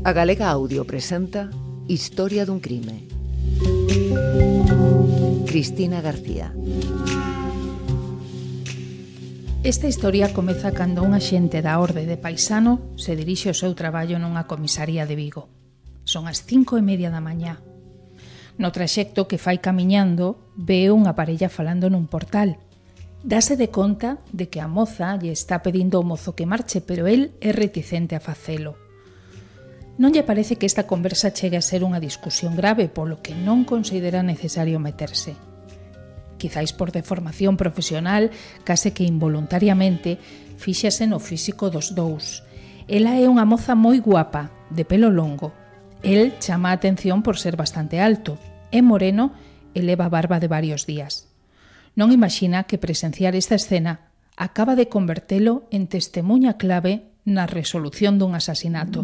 A Galega Audio presenta Historia dun crime. Cristina García. Esta historia comeza cando un axente da Orde de Paisano se dirixe ao seu traballo nunha comisaría de Vigo. Son as 5:30 da mañá. No traxecto que fai camiñando, ve unha parella falando nun portal. Dase de conta de que a moza lle está pedindo ao mozo que marche, pero el é reticente a facelo. Non lle parece que esta conversa chegue a ser unha discusión grave, polo que non considera necesario meterse. Quizáis por deformación profesional, case que involuntariamente, fíxase no físico dos dous. Ela é unha moza moi guapa, de pelo longo. El chama a atención por ser bastante alto. É moreno e leva barba de varios días. Non imagina que presenciar esta escena acaba de convertelo en testemuña clave na resolución dun asasinato.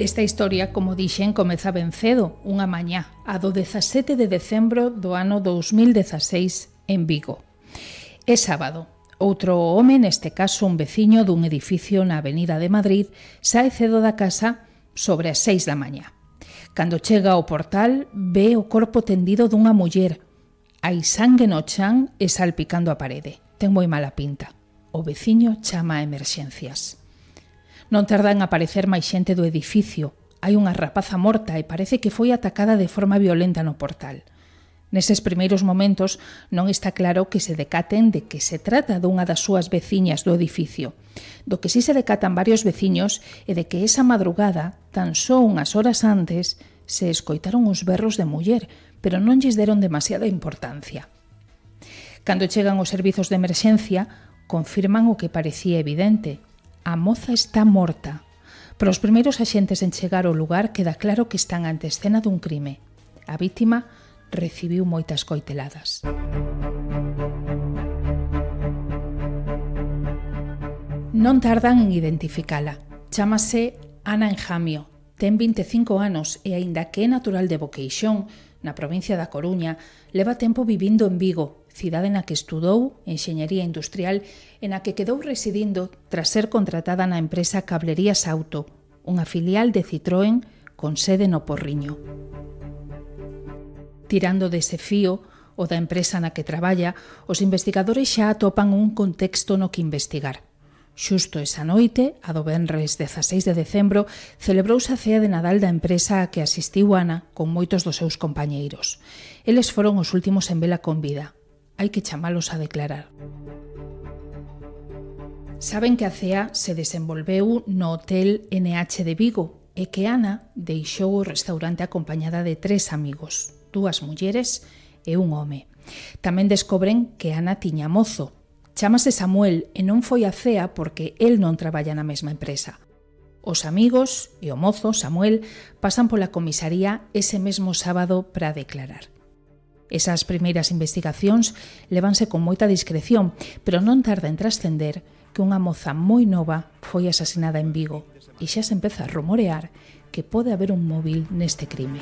Esta historia, como dixen, comeza ben cedo, unha mañá, a do 17 de decembro do ano 2016 en Vigo. É sábado. Outro home, neste caso un veciño dun edificio na Avenida de Madrid, sae cedo da casa sobre as 6 da mañá. Cando chega ao portal, ve o corpo tendido dunha muller. Hai sangue no chan e salpicando a parede. Ten moi mala pinta. O veciño chama a emerxencias. Non tarda en aparecer máis xente do edificio. Hai unha rapaza morta e parece que foi atacada de forma violenta no portal. Neses primeiros momentos non está claro que se decaten de que se trata dunha das súas veciñas do edificio. Do que sí se decatan varios veciños é de que esa madrugada, tan só unhas horas antes, se escoitaron os berros de muller, pero non lles deron demasiada importancia. Cando chegan os servizos de emerxencia, confirman o que parecía evidente. A moza está morta. Para os primeiros axentes en chegar ao lugar queda claro que están ante escena dun crime. A vítima recibiu moitas coiteladas. Non tardan en identificala. Chámase Ana Enjamio. Ten 25 anos e, aínda que é natural de Boqueixón, na provincia da Coruña, leva tempo vivindo en Vigo, cidade na que estudou enxeñería industrial e na que quedou residindo tras ser contratada na empresa Cablerías Auto, unha filial de Citroën con sede no Porriño. Tirando dese fío, o da empresa na que traballa, os investigadores xa atopan un contexto no que investigar. Xusto esa noite, a do venres 16 de decembro, celebrouse a cea de Nadal da empresa a que asistiu Ana con moitos dos seus compañeiros. Eles foron os últimos en vela con vida. Hai que chamalos a declarar. Saben que a cea se desenvolveu no Hotel NH de Vigo e que Ana deixou o restaurante acompañada de 3 amigos, 2 mulleres e un home. Tamén descobren que Ana tiña mozo. Chámase Samuel e non foi a cea porque el non traballa na mesma empresa. Os amigos e o mozo, Samuel, pasan pola comisaría ese mesmo sábado para declarar. Esas primeiras investigacións levanse con moita discreción, pero non tarda en trascender que unha moza moi nova foi asasinada en Vigo e xa se empeza a rumorear que pode haber un móvil neste crime.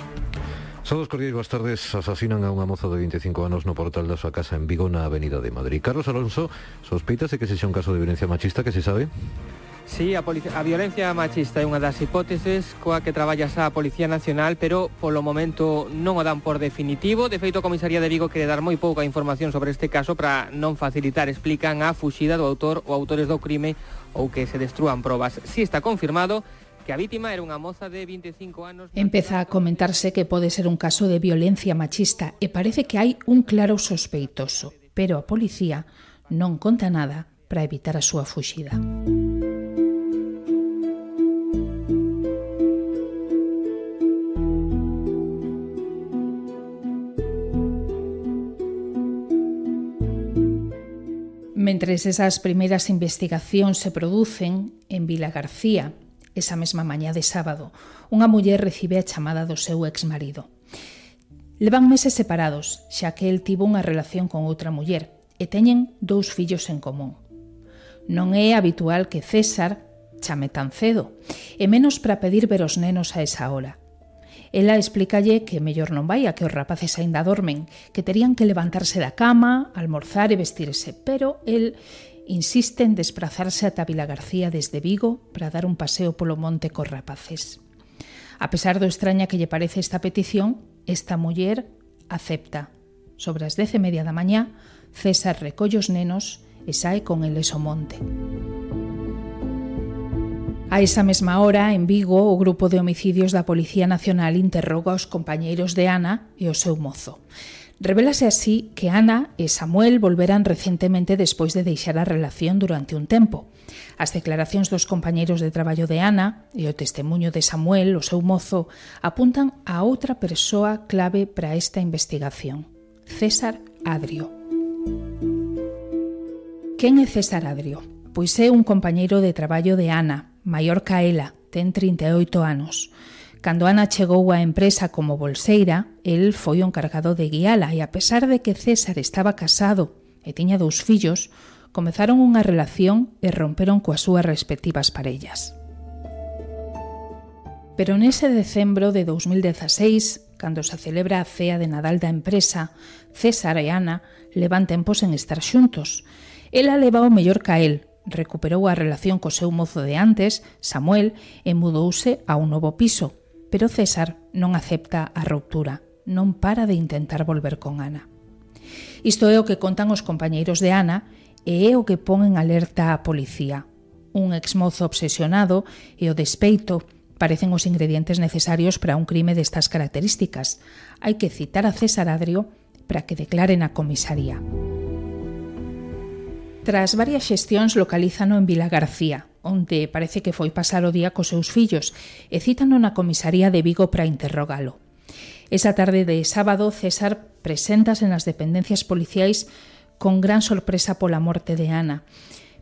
Saúdos cordiais, boas tardes. Asasinan a unha moza de 25 anos no portal da súa casa en Vigo, na Avenida de Madrid. Carlos Alonso, sospeitase que sexa un caso de violencia machista, que se sabe? Sí, a violencia machista é unha das hipóteses coa que traballa xa a Policía Nacional, pero polo momento non o dan por definitivo. De feito, a Comisaría de Vigo quere dar moi pouca información sobre este caso para non facilitar, explican, a fuxida do autor ou autores do crime ou que se destrúan probas. Si está confirmado que a vítima era unha moza de 25 anos. Empeza a comentarse que pode ser un caso de violencia machista e parece que hai un claro sospeitoso, pero a policía non conta nada para evitar a súa fuxida. Mentres esas primeiras investigacións se producen, en Vilagarcía, esa mesma mañá de sábado, unha muller recibe a chamada do seu exmarido. Levan meses separados, xa que el tivo unha relación con outra muller e teñen 2 fillos en común. Non é habitual que César chame tan cedo, e menos para pedir ver os nenos a esa hora. Ela explícalle que mellor non vai, a que os rapaces aínda dormen, que terían que levantarse da cama, almorzar e vestirse, pero el insiste en desplazarse ata Vilagarcía desde Vigo para dar un paseo polo monte cos rapaces. A pesar do extraña que lle parece esta petición, esta muller acepta. Sobre as 10:30 da mañá, César recolle os nenos e sae con eles ao monte. A esa mesma hora, en Vigo, o grupo de homicidios da Policía Nacional interroga os compañeiros de Ana e o seu mozo. Revélase así que Ana e Samuel volveran recentemente despois de deixar a relación durante un tempo. As declaracións dos compañeiros de traballo de Ana e o testemuño de Samuel, o seu mozo, apuntan a outra persoa clave para esta investigación, César Adrio. Quen é César Adrio? Pois é un compañeiro de traballo de Ana, maior ca ela, ten 38 anos. Cando Ana chegou á empresa como bolseira, el foi o encargado de guiala e a pesar de que César estaba casado e tiña 2 fillos, comezaron unha relación e romperon coas súas respectivas parellas. Pero nese decembro de 2016, cando se celebra a cea de Nadal da empresa, César e Ana levan tempos en estar xuntos. Ela leva o mellor ca el, recuperou a relación co seu mozo de antes, Samuel, e mudouse a un novo piso. Pero César non acepta a ruptura, non para de intentar volver con Ana. Isto é o que contan os compañeiros de Ana e é o que pon en alerta a policía. Un exmozo obsesionado e o despeito parecen os ingredientes necesarios para un crime destas características. Hai que citar a César Adrio para que declare na comisaría. Tras varias xestións localízano en Vilagarcía, onde parece que foi pasar o día cos seus fillos, e cítano na comisaría de Vigo para interrogalo. Esa tarde de sábado, César preséntase nas dependencias policiais con gran sorpresa pola morte de Ana.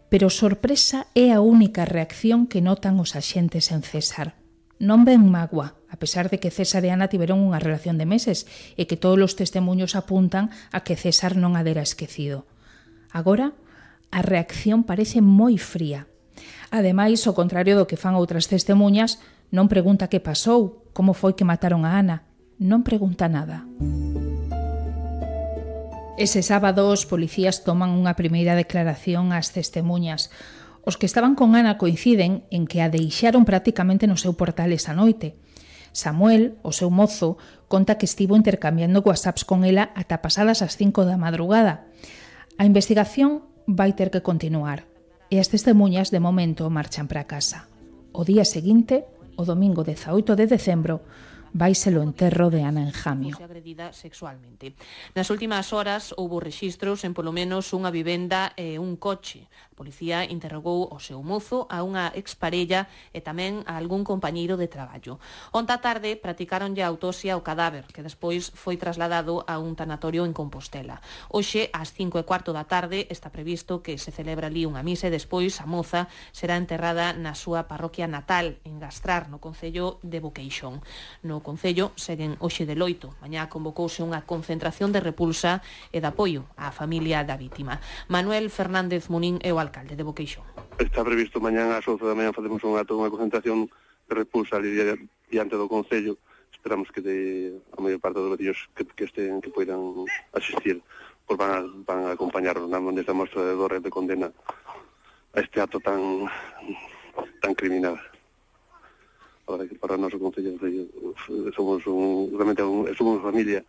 Pero sorpresa é a única reacción que notan os axentes en César. Non ven magua, a pesar de que César e Ana tiveron unha relación de meses e que todos os testemuños apuntan a que César non a dera esquecido. Agora, a reacción parece moi fría. Ademais, ao contrario do que fan outras testemuñas, non pregunta que pasou, como foi que mataron a Ana. Non pregunta nada. Ese sábado, os policías toman unha primeira declaración ás testemuñas. Os que estaban con Ana coinciden en que a deixaron prácticamente no seu portal esa noite. Samuel, o seu mozo, conta que estivo intercambiando whatsapps con ela ata pasadas as 5 da madrugada. A investigación vai ter que continuar e as testemuñas de momento marchan para casa. O día seguinte, o domingo 18 de decembro, vaise o enterro de Ana en Jamio. Agredida sexualmente. Nas últimas horas houbo rexistros en polo menos unha vivenda e un coche. A policía interrogou o seu mozo, a unha exparella e tamén a algún compañeiro de traballo. Onta tarde practicaronlle a autopsia ao cadáver, que despois foi trasladado a un tanatorio en Compostela. Hoxe, ás 5:15 da tarde, está previsto que se celebra ali unha misa e despois a moza será enterrada na súa parroquia natal, en Gastrar, no concello de Boqueixón. No concello seguen hoxe de loito. Mañá convocouse unha concentración de repulsa e de apoio á familia da vítima. Manuel Fernández Munín é o alcalde de Boqueixón. Está previsto mañá ás 11 da mañá facemos unha concentración de repulsa ali diante do concello. Esperamos que a maior parte dos veciños que poidan asistir, pois van a acompañarnos nesta mostra de dor e de condena a este acto tan criminal. Para o noso concello somos familia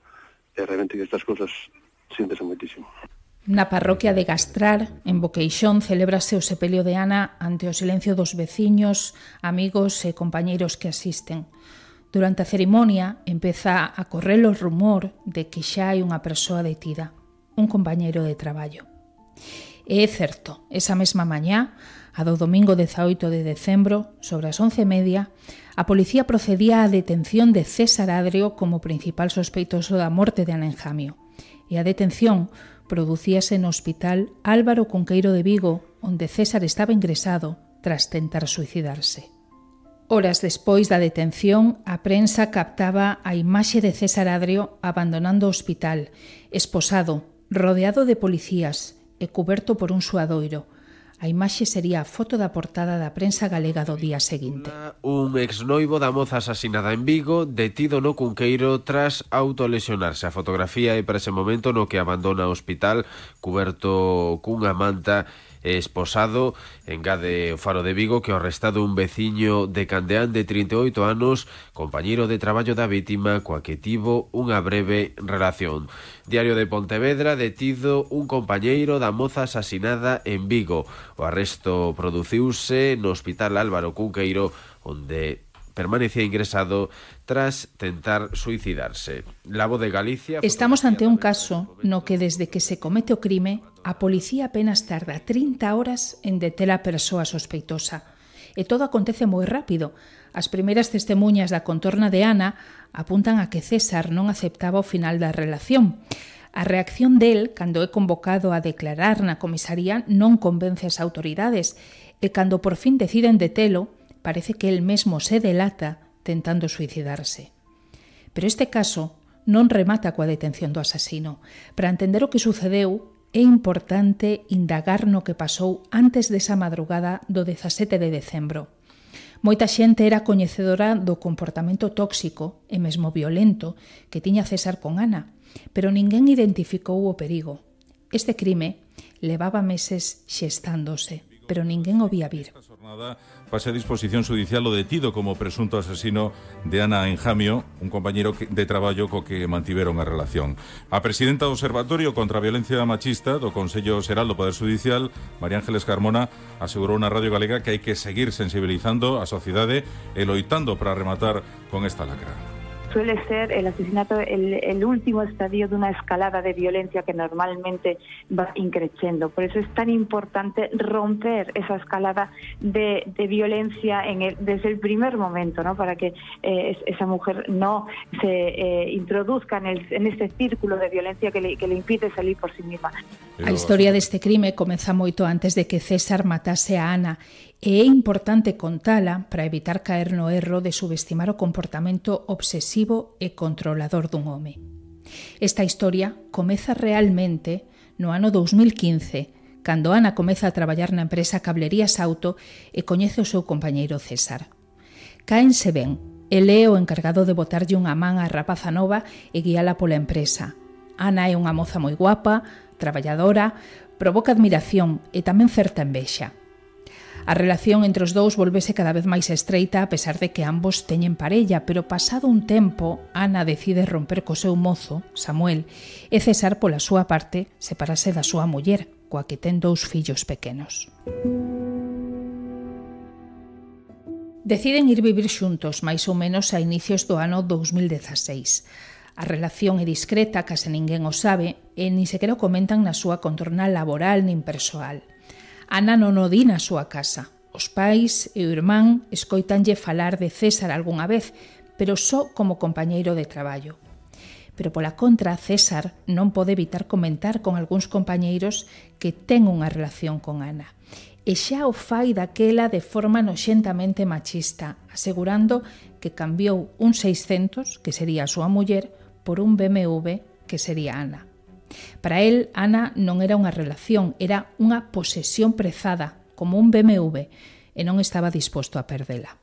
e realmente que estas cosas síntese moitísimo. Na parroquia de Gastrar, en Boqueixón, celébrase o sepelio de Ana ante o silencio dos veciños, amigos e compañeiros que asisten. Durante a cerimonia empeza a correr o rumor de que xa hai unha persoa detida, un compañeiro de traballo. E é certo, esa mesma mañá, a do domingo 18 de decembro, sobre as 11:30, a policía procedía á detención de César Adrio como principal sospeitoso da morte de Ana en Jamio. E a detención producíase no Hospital Álvaro Cunqueiro de Vigo, onde César estaba ingresado tras tentar suicidarse. Horas despois da detención, a prensa captaba a imaxe de César Adrio abandonando o hospital, esposado, rodeado de policías e cuberto por un suadoiro. A imaxe sería a foto da portada da prensa galega do día seguinte. Un exnoivo da moza asasinada en Vigo, detido no Cunqueiro tras autolesionarse. A fotografía é para ese momento no que abandona o hospital cuberto cunha manta esposado. Engade o Faro de Vigo que o arrestado un veciño de Candeán de 38 anos, compañeiro de traballo da vítima, coa que tivo unha breve relación. Diario de Pontevedra, detido un compañeiro da moza asasinada en Vigo. O arresto produciuse no Hospital Álvaro Cunqueiro, onde permanecía ingresado tras tentar suicidarse. La Voz de Galicia... Estamos ante un caso no que desde que se comete o crime, a policía apenas tarda 30 horas en deter a persoa sospeitosa. E todo acontece moi rápido. As primeiras testemuñas da contorna de Ana apuntan a que César non aceptaba o final da relación. A reacción del, cando é convocado a declarar na comisaría, non convence as autoridades, e cando por fin deciden detelo, parece que el mesmo se delata tentando suicidarse. Pero este caso non remata coa detención do asasino. Para entender o que sucedeu, é importante indagar no que pasou antes desa madrugada do 17 de decembro. Moita xente era coñecedora do comportamento tóxico e mesmo violento que tiña César con Ana, pero ninguén identificou o perigo. Este crime levaba meses xestándose, pero ninguén o vía vir. Pase a disposición judicial o detido como presunto asesino de Ana Enjamio, un compañeiro de traballo co que mantiveron a relación. A presidenta do Observatorio contra a Violencia Machista do Consello Xeral do Poder Judicial, María Ángeles Carmona, asegurou na Radio Galega que hai que seguir sensibilizando a sociedade e loitando para rematar con esta lacra. Suele ser el asesinato el último estadio de una escalada de violencia que normalmente va increciendo. Por eso es tan importante romper esa escalada de violencia desde el primer momento, ¿no? Para que esa mujer no se introduzca en este círculo de violencia que le impide salir por sí misma. A historia deste crime comeza moito antes de que César matase a Ana, e é importante contala para evitar caer no erro de subestimar o comportamento obsesivo e controlador dun home. Esta historia comeza realmente no ano 2015, cando Ana comeza a traballar na empresa Cablerías Auto e coñece o seu compañeiro César. Cáense ben, el é o encargado de botarlle unha man á rapaza nova e guiala pola empresa. Ana é unha moza moi guapa, traballadora, provoca admiración e tamén certa envexa. A relación entre os dous volvese cada vez máis estreita a pesar de que ambos teñen parella, pero pasado un tempo, Ana decide romper co seu mozo, Samuel, e César, pola súa parte, separase da súa muller, coa que ten 2 fillos pequenos. Deciden ir vivir xuntos, máis ou menos a inicios do ano 2016. A relación é discreta, case ninguén o sabe, e nin sequera o comentan na súa contorna laboral nin persoal. Ana non o di na súa casa. Os pais e o irmán escoitanlle falar de César algunha vez, pero só como compañeiro de traballo. Pero pola contra, César non pode evitar comentar con algúns compañeiros que ten unha relación con Ana. E xa o fai daquela de forma noxentamente machista, asegurando que cambiou un 600, que sería a súa muller, por un BMW, que sería Ana. Para él, Ana non era unha relación, era unha posesión prezada, como un BMW, e non estaba disposto a perdela.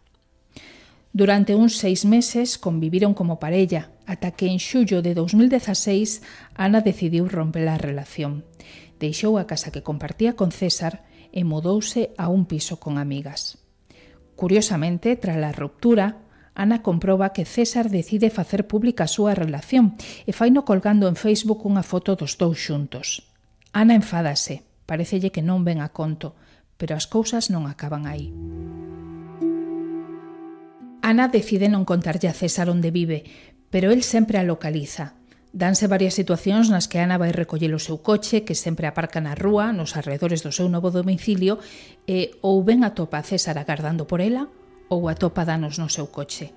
Durante uns 6 meses conviviron como parella, ata que en xullo de 2016 Ana decidiu romper a relación. Deixou a casa que compartía con César e mudouse a un piso con amigas. Curiosamente, tras a ruptura, Ana comproba que César decide facer pública a súa relación e faino colgando en Facebook unha foto dos dous xuntos. Ana enfádase, parecelle que non ven a conto, pero as cousas non acaban aí. Ana decide non contarlle a César onde vive, pero el sempre a localiza. Danse varias situacións nas que Ana vai recoller o seu coche, que sempre aparca na rúa, nos arredores do seu novo domicilio, e ou ben atopa a César agardando por ela, ou atopa danos no seu coche.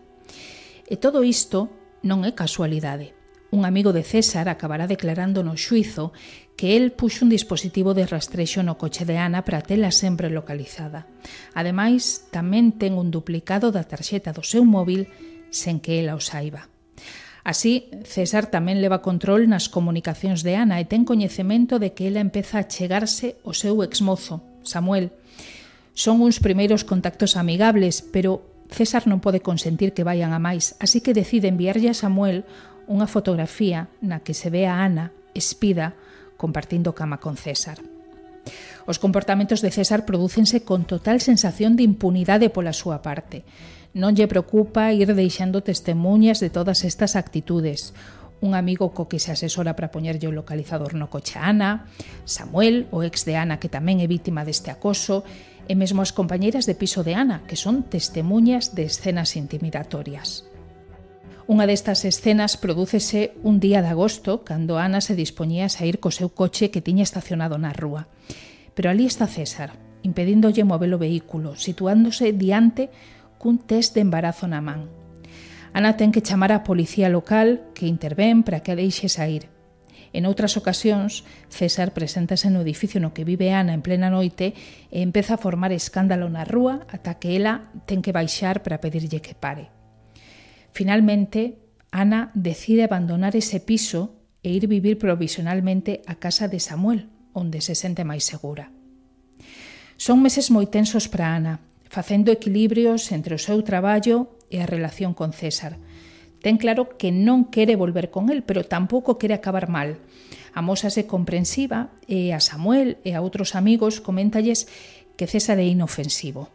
E todo isto non é casualidade. Un amigo de César acabará declarando no xuizo que el puxo un dispositivo de rastrexo no coche de Ana para tela sempre localizada. Ademais, tamén ten un duplicado da tarxeta do seu móvil sen que ela o saiba. Así, César tamén leva control nas comunicacións de Ana e ten coñecemento de que ela empeza a chegarse ao seu exmozo, Samuel. Son uns primeiros contactos amigables, pero César non pode consentir que vayan a máis, así que decide enviarlle a Samuel unha fotografía na que se ve a Ana, espida, compartindo cama con César. Os comportamentos de César prodúcense con total sensación de impunidade pola súa parte. Non lle preocupa ir deixando testemunhas de todas estas actitudes. Un amigo co que se asesora para poñerlle o localizador no coche a Ana, Samuel, o ex de Ana que tamén é vítima deste acoso, e mesmo as compañeiras de piso de Ana, que son testemunhas de escenas intimidatorias. Unha destas escenas prodúcese un día de agosto, cando Ana se dispoñía a sair co seu coche que tiña estacionado na rúa. Pero ali está César, impedíndolle mover o vehículo, situándose diante cun test de embarazo na man. Ana ten que chamar á policía local que intervén para que a deixe sair. En outras ocasións, César preséntase no edificio no que vive Ana en plena noite e empeza a formar escándalo na rúa ata que ela ten que baixar para pedirlle que pare. Finalmente, Ana decide abandonar ese piso e ir vivir provisionalmente a casa de Samuel, onde se sente máis segura. Son meses moi tensos para Ana, facendo equilibrios entre o seu traballo e a relación con César. Ten claro que non quere volver con el, pero tampouco quere acabar mal. Amósase comprensiva e a Samuel e a outros amigos coméntalles que César é inofensivo.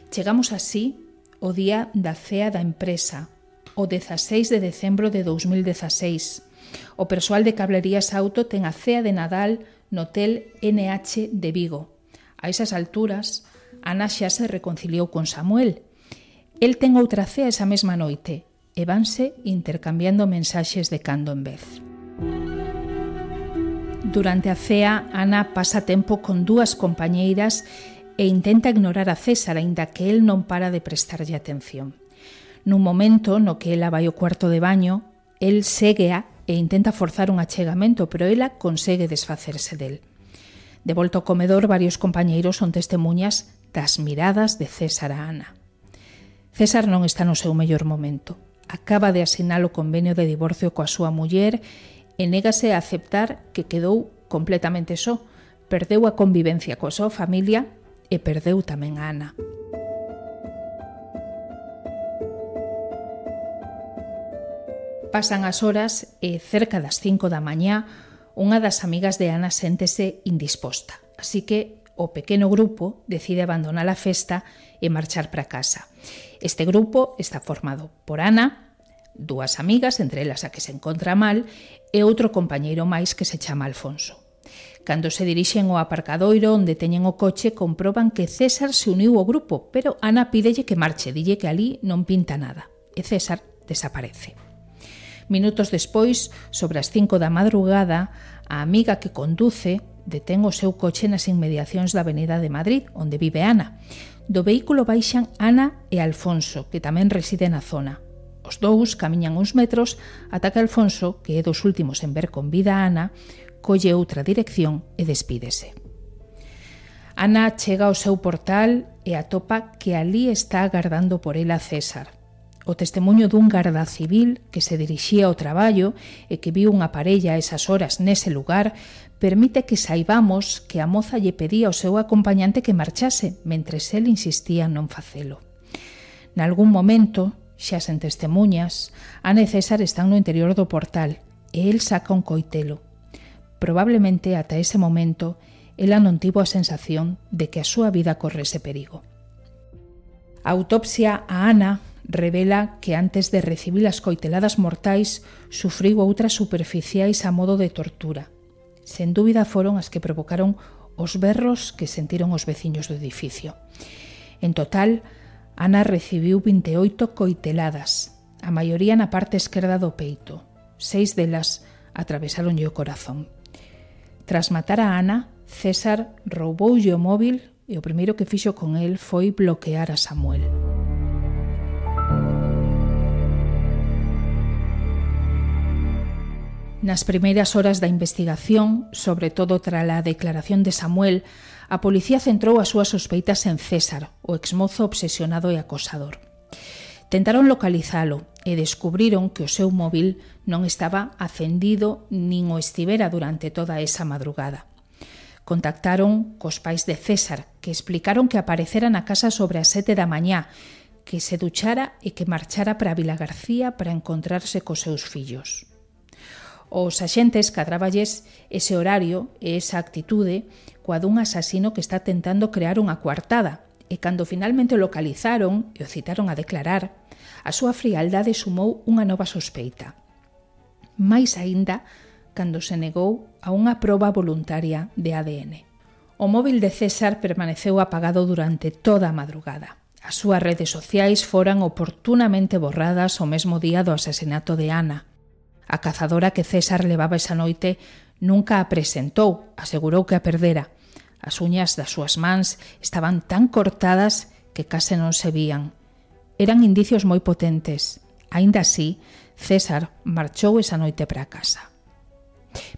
Chegamos así o día da cea da empresa, o 16 de decembro de 2016. O persoal de Cablerías Auto ten a cea de Nadal no Hotel NH de Vigo. A esas alturas, Ana xa se reconciliou con Samuel. El ten outra cea esa mesma noite e vanse intercambiando mensaxes de cando en vez. Durante a cea, Ana pasa tempo con dúas compañeiras e intenta ignorar a César, aínda que el non para de prestarlle atención. Nun momento no que ela vai ao cuarto de baño, el séguea e intenta forzar un achegamento, pero ela consegue desfacerse del. De volta ao comedor, varios compañeiros son testemunhas das miradas de César a Ana. César non está no seu mellor momento. Acaba de asinar o convenio de divorcio coa súa muller e négase a aceptar que quedou completamente só, perdeu a convivencia coa súa familia e perdeu tamén a Ana. Pasan as horas e cerca das 5 da mañá unha das amigas de Ana séntese indisposta, así que o pequeno grupo decide abandonar a festa e marchar para casa. Este grupo está formado por Ana, dúas amigas, entre elas a que se encontra mal, e outro compañeiro máis que se chama Alfonso. Cando se dirixen ao aparcadoiro onde teñen o coche, comproban que César se uniu ao grupo, pero Ana pídelle que marche, dille que ali non pinta nada, e César desaparece. Minutos despois, sobre as 5 da madrugada, a amiga que conduce detén o seu coche nas inmediacións da Avenida de Madrid, onde vive Ana. Do vehículo baixan Ana e Alfonso, que tamén reside na zona. Os dous camiñan uns metros ata que Alfonso, que é dos últimos en ver con vida a Ana, colle outra dirección e despídese. Ana chega ao seu portal e atopa que ali está agardando por ela César. O testemuño dun garda civil que se dirixía ao traballo e que viu unha parella a esas horas nese lugar permite que saibamos que a moza lle pedía ao seu acompañante que marchase, mentres el insistía en non facelo. Nalgún momento, xa sen testemuñas, Ana e César están no interior do portal e el saca un coitelo. Probablemente ata ese momento ela non tivo a sensación de que a súa vida correse perigo. A autopsia a Ana revela que antes de recibir as coiteladas mortais sufriu outras superficiais a modo de tortura. Sen dúbida foron as que provocaron os berros que sentiron os veciños do edificio. En total, Ana recibiu 28 coiteladas, a maioría na parte esquerda do peito. 6 delas atravesaronlle o corazón. Tras matar a Ana, César rouboulle o móvil e o primeiro que fixo con el foi bloquear a Samuel. Nas primeiras horas da investigación, sobre todo trala a declaración de Samuel, a policía centrou as súas sospeitas en César, o exmozo obsesionado e acosador. Tentaron localizalo e descubriron que o seu móvil non estaba acendido nin o estivera durante toda esa madrugada. Contactaron cos pais de César, que explicaron que aparecera na casa sobre as 7 da mañá, que se duchara e que marchara para Vilagarcía para encontrarse cos seus fillos. Os axentes cadráballes ese horario e esa actitude coa dun asasino que está tentando crear unha coartada, e cando finalmente o localizaron e o citaron a declarar, a súa frialdade sumou unha nova sospeita. Mais aínda cando se negou a unha proba voluntaria de ADN. O móvil de César permaneceu apagado durante toda a madrugada. As súas redes sociais foran oportunamente borradas o mesmo día do asasinato de Ana. A cazadora que César levaba esa noite nunca a presentou, asegurou que a perdera. As uñas das súas mans estaban tan cortadas que case non se vían. Eran indicios moi potentes. Aínda así, César marchou esa noite para casa.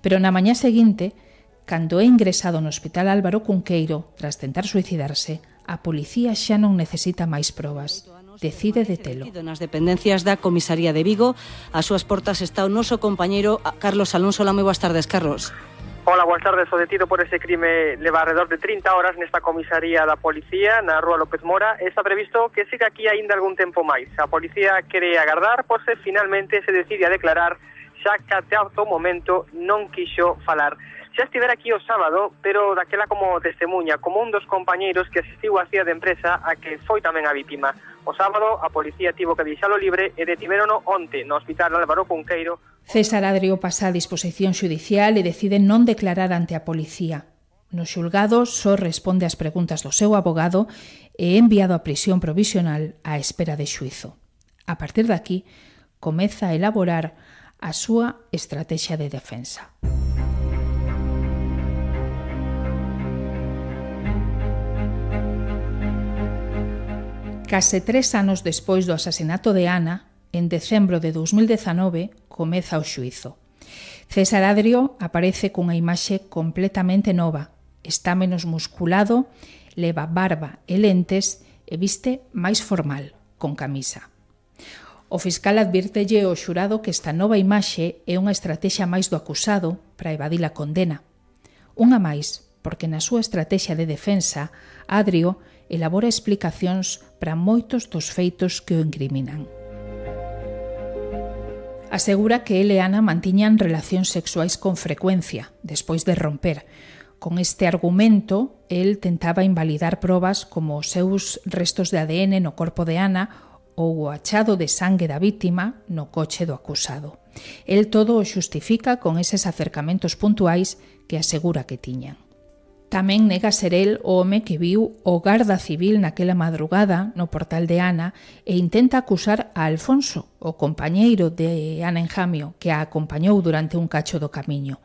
Pero na mañá seguinte, cando é ingresado no Hospital Álvaro Cunqueiro tras tentar suicidarse, a policía xa non necesita máis probas. Decide detelo. Nas dependencias da Comisaría de Vigo, ás súas portas está o noso compañeiro Carlos Alonso. Hola, moi boas tardes, Carlos. Hola, boas tardes. O detido por ese crime leva alrededor de 30 horas nesta comisaría da policía na Rúa López Mora. Está previsto que siga aquí aínda algún tempo máis. A policía quere agardar por se finalmente se decide a declarar, xa que até o momento non quixo falar. Xa estivera aquí o sábado, pero daquela como testemunha, como un dos compañeiros que asistiu á cía de empresa a que foi tamén a vítima. O sábado, a policía tivo que deixalo libre e detivérono onte no Hospital Álvaro Cunqueiro. César Adrio pasa a disposición xudicial e decide non declarar ante a policía. No xulgado só responde ás preguntas do seu abogado e é enviado a prisión provisional á espera de xuízo. A partir de aquí, comeza a elaborar a súa estrategia de defensa. Case 3 anos despois do asasinato de Ana, en decembro de 2019, comeza o xuízo. César Adrio aparece cunha imaxe completamente nova. Está menos musculado, leva barba e lentes e viste máis formal, con camisa. O fiscal advírtelle ao xurado que esta nova imaxe é unha estrategia máis do acusado para evadir a condena. Unha máis, porque na súa estrategia de defensa, Adrio elabora explicacións para moitos dos feitos que o incriminan. Asegura que ele e Ana mantiñan relacións sexuais con frecuencia, despois de romper. Con este argumento, el tentaba invalidar probas como os seus restos de ADN no corpo de Ana ou o achado de sangue da vítima no coche do acusado. El todo o xustifica con eses acercamentos puntuais que asegura que tiñan. Tamén nega ser el o home que viu o garda civil naquela madrugada no portal de Ana e intenta acusar a Alfonso, o compañeiro de Ana Enjamio, que a acompañou durante un cacho do camiño.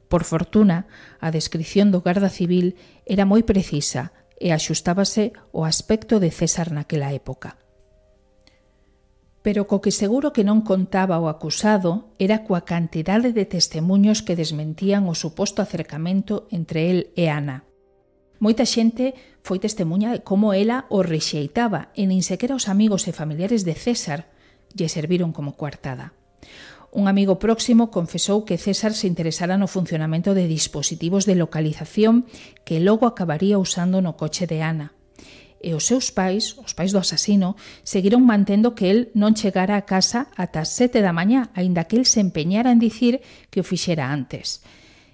Por fortuna, a descrición do garda civil era moi precisa e axustábase ao aspecto de César naquela época. Pero co que seguro que non contaba o acusado era coa cantidade de testemuños que desmentían o suposto acercamento entre el e Ana. Moita xente foi testemuña de como ela o rexeitaba e nin sequera os amigos e familiares de César lle serviron como coartada. Un amigo próximo confesou que César se interesara no funcionamento de dispositivos de localización que logo acabaría usando no coche de Ana. E os seus pais, os pais do asasino, seguiron mantendo que el non chegara a casa ata as 7 da mañá, aínda que el se empeñara en dicir que o fixera antes.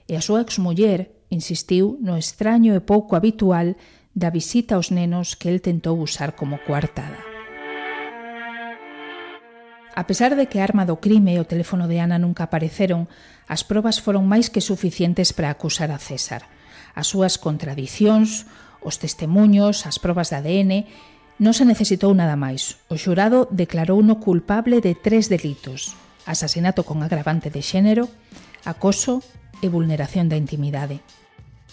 E a súa exmuller insistiu no extraño e pouco habitual da visita aos nenos que el tentou usar como coartada. A pesar de que a arma do crime e o teléfono de Ana nunca apareceron, as probas foron máis que suficientes para acusar a César. As súas contradicións, os testemuños, as probas de ADN, non se necesitou nada máis. O xurado declarouno culpable de 3 delitos: asasinato con agravante de xénero, acoso e vulneración da intimidade.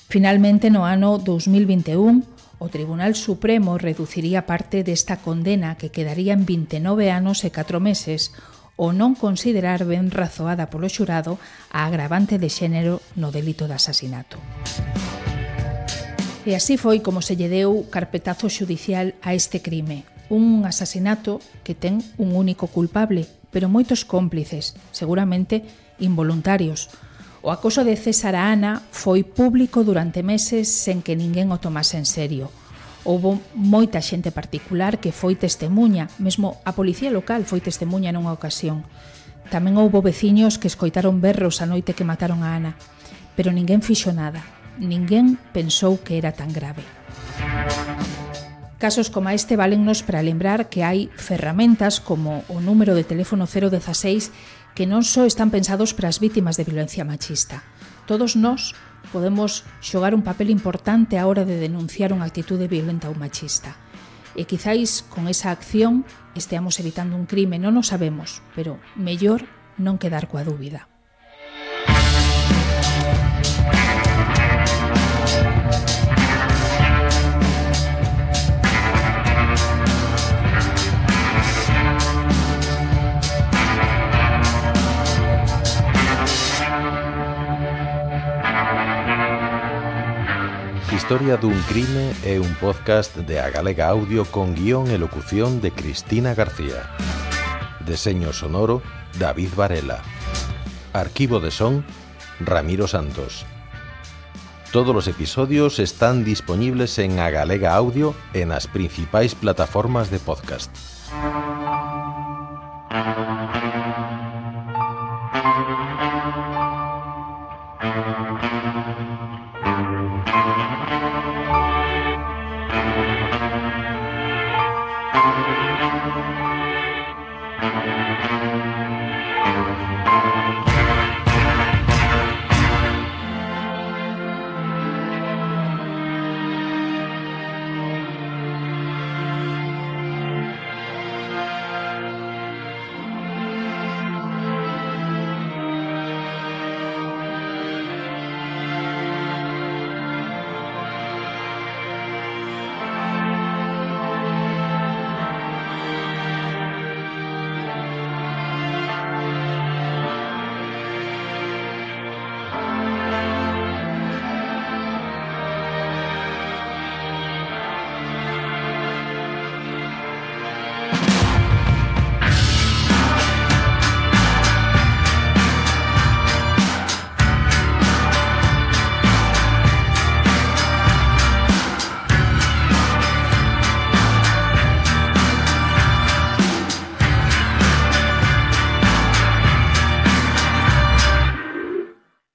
Finalmente, no ano 2021, o Tribunal Supremo reduciría parte desta condena que quedaría en 29 anos e 4 meses o non considerar ben razoada polo xurado a agravante de xénero no delito de asasinato. E así foi como se lle deu carpetazo xudicial a este crime, un asasinato que ten un único culpable, pero moitos cómplices, seguramente involuntarios. O acoso de César a Ana foi público durante meses sen que ninguén o tomase en serio. Houbo moita xente particular que foi testemuña, mesmo a policía local foi testemuña nunha ocasión. Tamén houbo veciños que escoitaron berros a noite que mataron a Ana, pero ninguén fixo nada, ninguén pensou que era tan grave. Casos como este valennos para lembrar que hai ferramentas como o número de teléfono 016 que non só están pensados para as vítimas de violencia machista. Todos nós podemos xogar un papel importante á hora de denunciar unha actitude violenta ou machista. E quizáis con esa acción esteamos evitando un crime, non o sabemos, pero mellor non quedar coa dúbida. Historia dun crime é un podcast de A Galega Audio con guión e locución de Cristina García. Deseño sonoro, David Varela. Arquivo de son, Ramiro Santos. Todos los episodios están disponibles en A Galega Audio en las principais plataformas de podcast. Thank you.